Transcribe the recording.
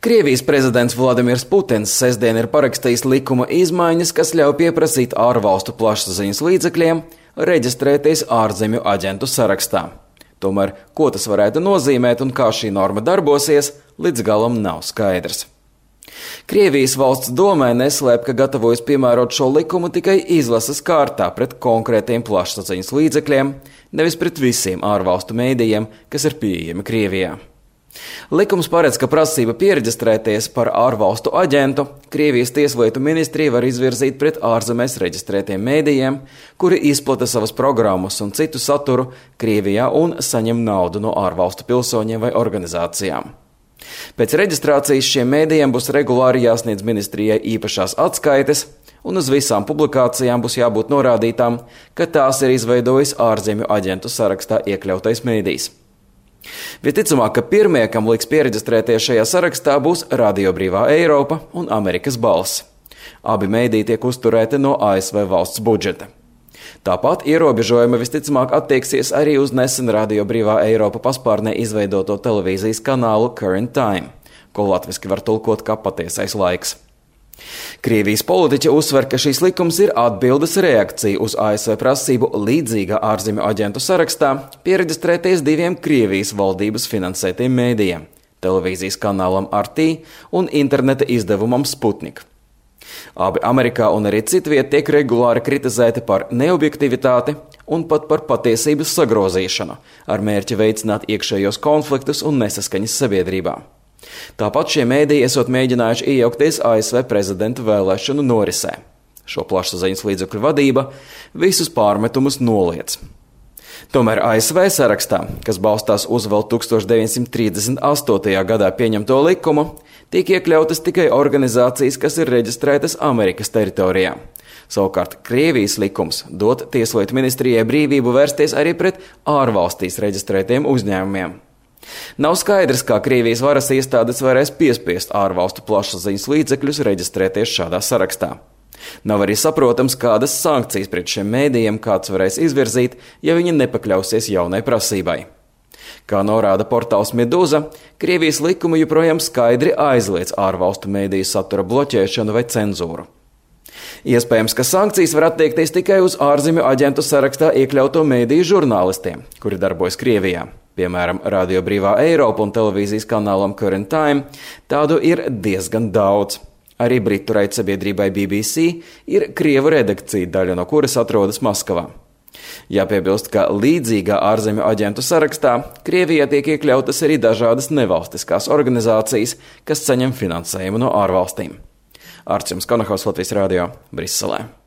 Krievijas prezidents Vladimirs Putins sestdien ir parakstījis likuma izmaiņas, kas ļauj pieprasīt ārvalstu plašsaziņas līdzekļiem reģistrēties ārzemju aģentu sarakstā. Tomēr, ko tas varētu nozīmēt un kā šī norma darbosies, līdz galam nav skaidrs. Krievijas valsts domē neslēp, ka gatavojas piemērot šo likumu tikai izlases kārtā pret konkrētiem plašsaziņas līdzekļiem, nevis pret visiem ārvalstu mēdījiem, kas ir pieejami Krievijā. Likums paredz, ka prasība piereģistrēties par ārvalstu aģentu Krievijas tieslietu ministrija var izvirzīt pret ārzemēs reģistrētiem mēdījiem, kuri izplata savas programmas un citu saturu Krievijā un saņem naudu no ārvalstu pilsoņiem vai organizācijām. Pēc reģistrācijas šiem mēdījiem būs regulāri jāsniedz ministrijai īpašās atskaites, un uz visām publikācijām būs jābūt norādītām, ka tās ir izveidojis ārzemju aģentu sarakstā iekļautais mēdījs. Visticamāk, ka pirmie, kam liks piereģistrēties šajā sarakstā, būs Radio Brīvā Eiropa un Amerikas Balss. Abi mēdīji tiek uzturēti no ASV valsts budžeta. Tāpat ierobežojumi visticamāk attieksies arī uz nesen Radio Brīvā Eiropa paspārnē izveidoto televīzijas kanālu Current Time, ko latviski var tulkot kā patiesais laiks. Krievijas politiķi uzsver, ka šīs likums ir atbildes reakcija uz ASV prasību līdzīgā ārzemju aģentu sarakstā piereģistrēties diviem Krievijas valdības finansētiem mēdījiem – televīzijas kanālam RT un interneta izdevumam Sputnik. Abi Amerikā un arī citviet tiek regulāri kritizēti par neobjektivitāti un pat par patiesības sagrozīšanu, ar mērķi veicināt iekšējos konfliktus un nesaskaņas sabiedrībā. Tāpat šie mēdīji esot mēģinājuši iejaukties ASV prezidenta vēlēšanu norisē. Šo plašsaziņas līdzekļu vadība visus pārmetumus noliedz. Tomēr ASV sarakstā, kas balstās uz vēl 1938. gadā pieņemto likumu, tiek iekļautas tikai organizācijas, kas ir reģistrētas Amerikas teritorijā. Savukārt Krievijas likums dod tieslietu ministrijai brīvību vērsties arī pret ārvalstīs reģistrētiem uzņēmumiem. Nav skaidrs, kā Krievijas varas iestādes varēs piespiest ārvalstu plašsaziņas līdzekļus reģistrēties šādā sarakstā. Nav arī saprotams, kādas sankcijas pret šiem mēdījiem kāds varēs izvirzīt, ja viņi nepakļausies jaunai prasībai. Kā norāda portāls Meduza, Krievijas likumi joprojām skaidri aizliedz ārvalstu mēdīju satura bloķēšanu vai cenzūru. Iespējams, ka sankcijas var attiekties tikai uz ārzemju aģentu sarakstā iekļauto mēdīju žurnālistiem, kuri darbojas Krievijā. Piemēram, Radio Brīvā Eiropa un televīzijas kanālam Current Time tādu ir diezgan daudz. Arī britu raidsabiedrībai BBC ir krievu redakcija, daļa no kuras atrodas Maskavā. Jāpiebilst, ka līdzīgā ārzemju aģentu sarakstā Krievijā tiek iekļautas arī dažādas nevalstiskās organizācijas, kas saņem finansējumu no ārvalstīm. Arčuns Konahaus, Latvijas Radio, Briselē.